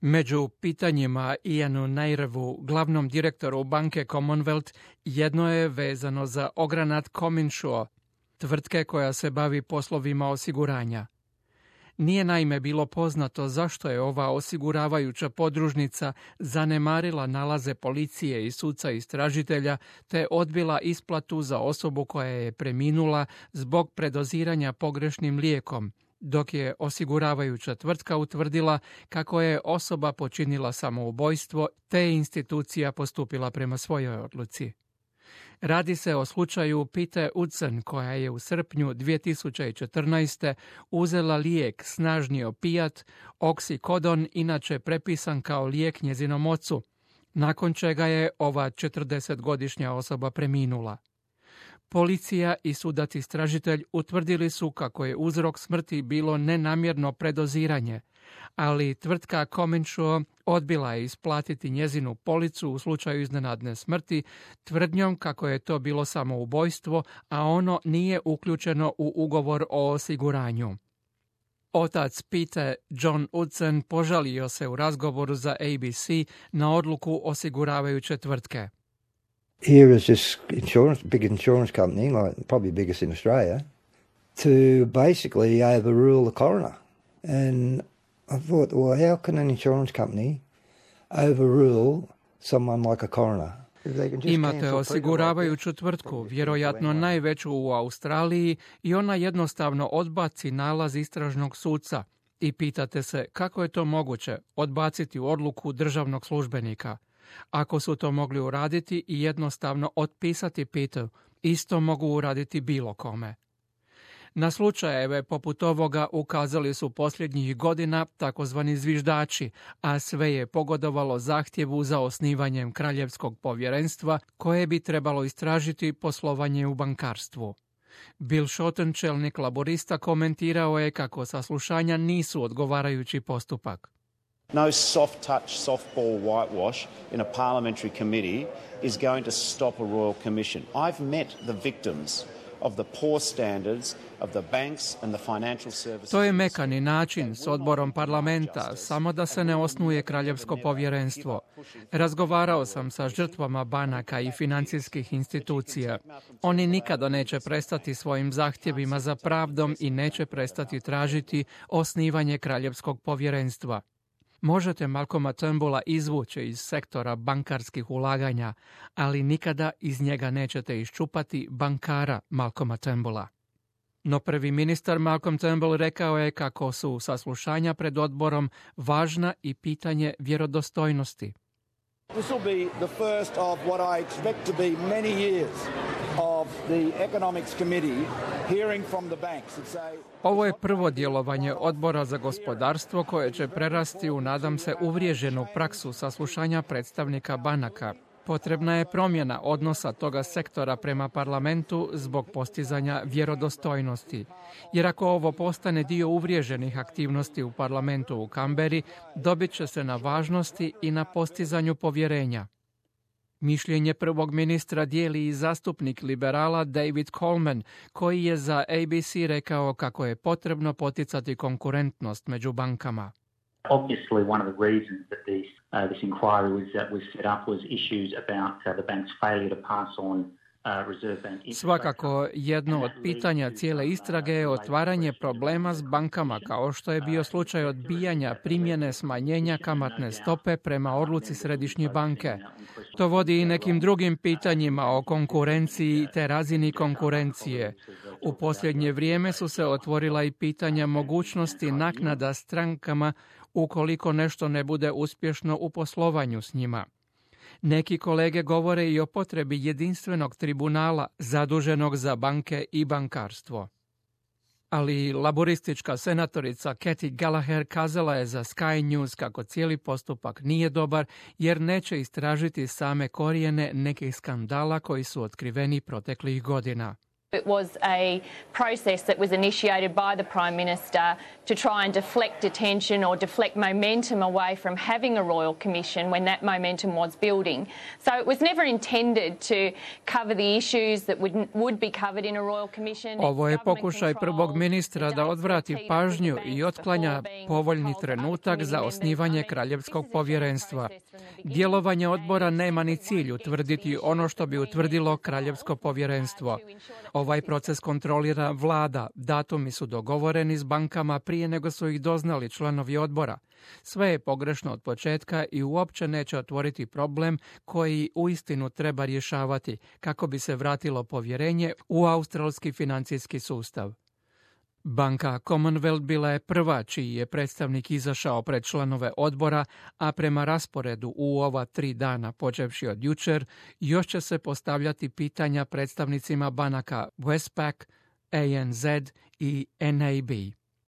Među pitanjima Ianu Nairevu, glavnom direktoru banke Commonwealth, jedno je vezano za ogranat CommInsure, tvrtke koja se bavi poslovima osiguranja. Nije naime bilo poznato zašto je ova osiguravajuća podružnica zanemarila nalaze policije i suca istražitelja te odbila isplatu za osobu koja je preminula zbog predoziranja pogrešnim lijekom, dok je osiguravajuća tvrtka utvrdila kako je osoba počinila samoubojstvo te je institucija postupila prema svojoj odluci. Radi se o slučaju Pete Udson koja je u srpnju 2014. uzela lijek snažni opijat, oksikodon, inače prepisan kao lijek njezinom ocu, nakon čega je ova 40-godišnja osoba preminula. Policija i sudac istražitelj utvrdili su kako je uzrok smrti bilo nenamjerno predoziranje, ali tvrtka CommInsure odbila je isplatiti njezinu policu u slučaju iznenadne smrti tvrdnjom kako je to bilo samoubojstvo, a ono nije uključeno u ugovor o osiguranju. Otac Pete, John Udson, požalio se u razgovoru za ABC na odluku osiguravajuće tvrtke. Here is this big insurance company, like probably biggest in Australia, to basically overrule the coroner. And I thought, well, how can an insurance company overrule someone like a coroner? Imate osiguravajuću tvrtku, vjerojatno najveću u Australiji, i ona jednostavno odbaci nalaz istražnog suca. I pitate se kako je to moguće odbaciti odluku državnog službenika. Ako su to mogli uraditi i jednostavno otpisati Petu, isto mogu uraditi bilo kome. Na slučajeve poput ovoga ukazali su posljednjih godina takozvani zviždači, a sve je pogodovalo zahtjevu za osnivanjem kraljevskog povjerenstva koje bi trebalo istražiti poslovanje u bankarstvu. Bill Shorten, čelnik laborista, komentirao je kako saslušanja nisu odgovarajući postupak. No soft touch, softball whitewash in a parliamentary committee is going to stop a royal commission. I've met the victims of the poor standards of the banks and the financial services. To je mekani način s odborom parlamenta, samo da se ne osnuje kraljevsko povjerenstvo. Razgovarao sam sa žrtvama banaka i financijskih institucija. Oni nikada neće prestati svojim zahtjevima za pravdom i neće prestati tražiti osnivanje kraljevskog povjerenstva. Možete Malcolma Turnbulla izvući iz sektora bankarskih ulaganja, ali nikada iz njega nećete iščupati bankara Malcolma Turnbulla. No prvi ministar Malcolm Turnbull rekao je kako su saslušanja pred odborom važna i pitanje vjerodostojnosti. This will be the first of what I expect to be many years of the Economics Committee hearing from the banks. Ovo je prvo djelovanje odbora za gospodarstvo koje će prerasti u, nadam se, uvriježenu praksu saslušanja predstavnika banaka. Potrebna je promjena odnosa toga sektora prema parlamentu zbog postizanja vjerodostojnosti. Jer ako ovo postane dio uvriježenih aktivnosti u parlamentu u Kamberi, dobit će se na važnosti i na postizanju povjerenja. Mišljenje prvog ministra dijeli i zastupnik liberala David Coleman, koji je za ABC rekao kako je potrebno poticati konkurentnost među bankama. Obviously, one of the reasons that this inquiry was set up was issues about the bank's failure to pass on Reserve Bank. Svakako, jedno od pitanja cijele istrage je otvaranje problema s bankama, kao što je bio slučaj odbijanja primjene smanjenja kamatne stope prema odluci Središnje banke. To vodi i nekim drugim pitanjima o konkurenciji te razini konkurencije. U posljednje vrijeme su se otvorila i pitanja mogućnosti naknada strankama ukoliko nešto ne bude uspješno u poslovanju s njima. Neki kolege govore i o potrebi jedinstvenog tribunala zaduženog za banke i bankarstvo. Ali laboristička senatorica Cathy Gallagher kazala je za Sky News kako cijeli postupak nije dobar jer neće istražiti same korijene nekih skandala koji su otkriveni proteklih godina. It was a process that was initiated by the Prime Minister to try and deflect attention or deflect momentum away from having a Royal Commission when that momentum was building. So it was never intended to cover the issues that would be covered in a Royal Commission. Ovo je pokušaj prvog ministra da odvrati pažnju i otklanja povoljni trenutak za osnivanje Kraljevskog povjerenstva. Djelovanje odbora nema ni cilj utvrditi ono što bi utvrdilo Kraljevsko povjerenstvo. Ovaj proces kontrolira vlada, datumi su dogovoreni s bankama prije nego su ih doznali članovi odbora. Sve je pogrešno od početka i uopće neće otvoriti problem koji uistinu treba rješavati kako bi se vratilo povjerenje u australski financijski sustav. Banka Commonwealth bila je prva čiji je predstavnik izašao pred članove odbora, a prema rasporedu u ova 3 dana počevši od jučer, još će se postavljati pitanja predstavnicima banaka Westpac, ANZ i NAB.